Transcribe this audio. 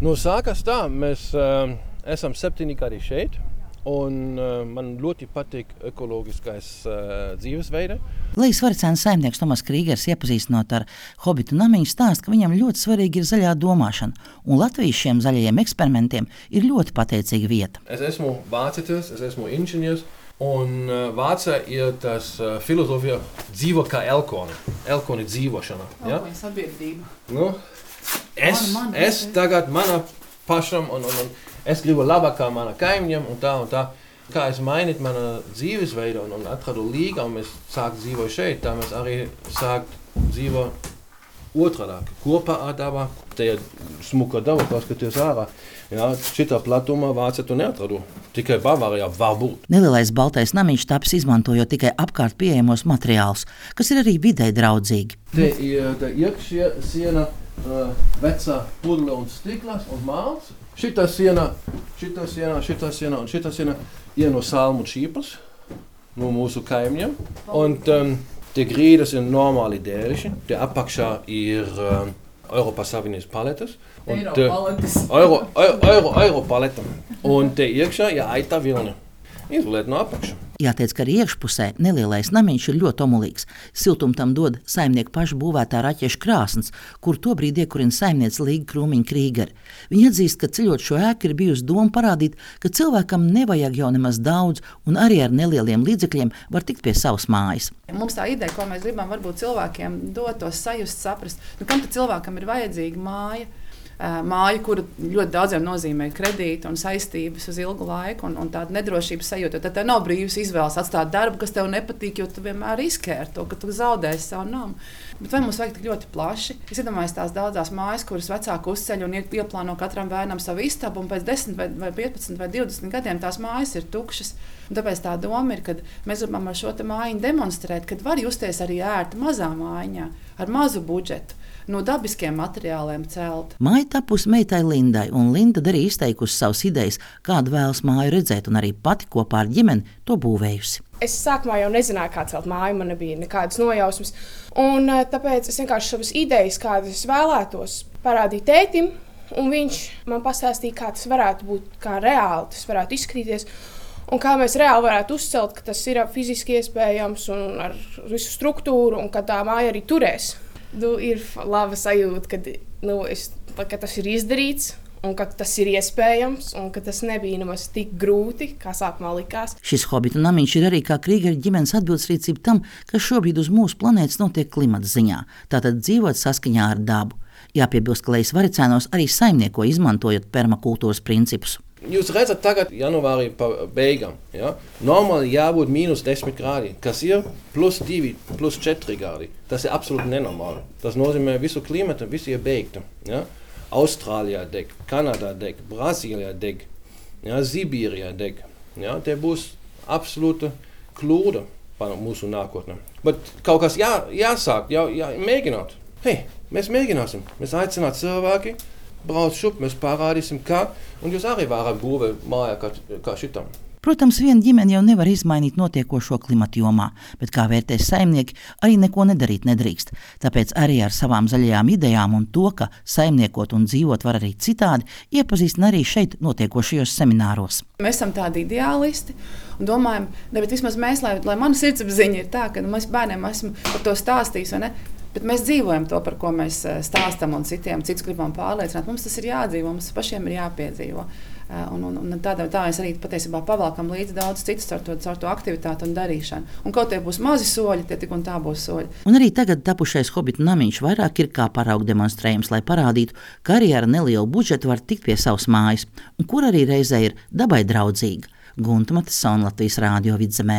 Nu, sākas tā, mēs esam 7 gadi šeit, un man ļoti patīk ekoloģiskais dzīvesveida. Lejas Varicēnas saimnieks Tomas Krīgers iepazīstinot ar Hobitu namiņu stāsta, ka viņam ļoti svarīgi ir zaļā domāšana, un Latvijas šiem zaļajiem eksperimentiem ir ļoti pateicīga vieta. Es esmu vācietis, es esmu inženieris, un Vācijā ir tas filozofija dzīvo kā elkoni. Elkoni dzīvošana. Ja? Sabiedrība. Nu, es tagad mana pašam, un es gribu labāk kā mana kaimiņiem, un tā. Kā es mainīju mana dzīvesveidu un atradu līgu, un mēs sākam dzīvot šeit, tā mēs arī sākam dzīvot otrādāk. Kopā ar dabu, te ir smuka daba, paskaties ārā. Ja, šitā platumā Vācijā tu neatradu. Tikai Bavārijā var būt. Nelielais baltais namiņš taps izmantojot tikai apkārt pieejamos materiālus, kas ir arī videi draudzīgi. Te ir iekšsiena vecā pudle un stiklas un māls. Šitā siena ir no salmu šīpas, no mūsu kaimiņiem. Un tie grīdas ir normāli dēriši. Te apakšā ir Eiropas Savienības paletes. Eiro paleta. Un te iekšā ir aita vilni. Izoliet no apakša. Jāteic, ka arī iekšpusē nelielais namiņš ir ļoti omulīgs. Siltumu tam dod saimnieku pašu būvētā raķešu krāsns, kur tobrīd iekurina saimniece Līga Krūmiņa Krīgere. Viņa atzīst, ka ceļot šo ēku ir bijusi doma parādīt, ka cilvēkam nevajag jau nemaz daudz un arī ar nelieliem līdzekļiem var tikt pie savas mājas. Mums tā ideja, ko mēs gribam varbūt cilvēkiem dot tos sajust, saprast, kam tad cilvēkam ir vajadzīga māja. Māja, kura ļoti daudziem nozīmē kredītu un saistības uz ilgu laiku un tādu nedrošības sajūtu. Tad tev nav brīvas izvēles atstāt darbu, kas tev nepatīk, jo tu vienmēr riskē ar to, ka tu zaudēsi savu namu. Bet vai mums vajag tik ļoti plaši? Es iedomājos tās daudzās mājas, kuras vecāki uzceļ un ieplāno katram bērnam savu istabu, un pēc 10 vai 15 vai 20 gadiem tās mājas ir tukšas. Un tāpēc tā doma ir, ka mēs gribam ar šo mājiņu demonstrēt, ka var justies arī ērti mazā mājiņā, ar mazu budžetu. No dabiskiem materiāliem celt. Māja tapusi meitai Lindai, un Linda arī izteikusi savas idejas, kādu vēlas māju redzēt, un arī pati kopā ar ģimeni to būvējusi. Es sākumā jau nezināju, kā celt māju, man nebija nekādas nojausmas. Un tāpēc es vienkārši savas idejas, kādas es vēlētos, parādīju tētim, un viņš man pastāstīja, kā tas varētu būt, kā reāli tas varētu izskatīties. Un kā mēs reāli varētu uzcelt, ka tas ir fiziski iespējams un ar visu struktūru, un ka tā māja arī turēs. Ir laba sajūta, ka tas ir izdarīts un ka tas ir iespējams un ka tas nebija nemaz tik grūti, kā sākumā likās. Šis Hobitu namiņš ir arī kā Krīgera ģimenes atbildsrīcība tam, kas šobrīd uz mūsu planētas notiek klimata ziņā. Tātad dzīvot saskaņā ar dabu. Jāpiebilst, ka Lejas Varicēnos arī saimnieko izmantojot permakultūras principus. Jūs redzat tagad janvārī pa beigām. Ja? Normāli jābūt -10 grādi, kas ir +2, +4 grādi. Tas ir absolūti nenormāli. Tas nozīmē visu klimatu, visi ir beigti. Ja? Austrālijā deg, Kanādā deg, Brazīlijā deg, ja? Sibīrijā deg. Ja? Te būs absolūta kļūda par mūsu nākotnē. Bet kaut kas jāsāk, mēģināt. Hei, mēs mēģināsim. Mēs aicinām cilvēki. Brauc šup, mēs parādīsim, kā, un jūs arī varat būvēt mājā kā šitam. Protams, viena ģimene jau nevar izmainīt notiekošo klimatu jomā, bet kā vērtēs saimnieki, arī neko nedarīt nedrīkst. Tāpēc arī ar savām zaļajām idejām un to, ka saimniekot un dzīvot var arī citādi, iepazīstina arī šeit notiekošajos semināros. Mēs esam tādi ideālisti un domājam, bet vismaz mēs, lai mana sirdsapziņa ir tā, ka mēs bērniem esam par to stāstījis, vai ne? Bet mēs dzīvojam to, par ko mēs stāstam un citus gribam pārliecināt. Mums tas ir jādzīvo, mums pašiem ir jāpiedzīvo. Un tā mēs arī patiesībā pavalkam līdzi daudz citus ar to aktivitāti un darīšanu. Un kaut tie būs mazi soļi, tie tik un tā būs soļi. Un arī tagad tapušais Hobitu namiņš vairāk ir kā paraugu demonstrējums, lai parādītu, ka arī ar nelielu budžetu var tikt pie savas mājas, un kur arī reizē ir dabai draudzīga. Gunta Matisona, Latvijas Rādio Vidzemē.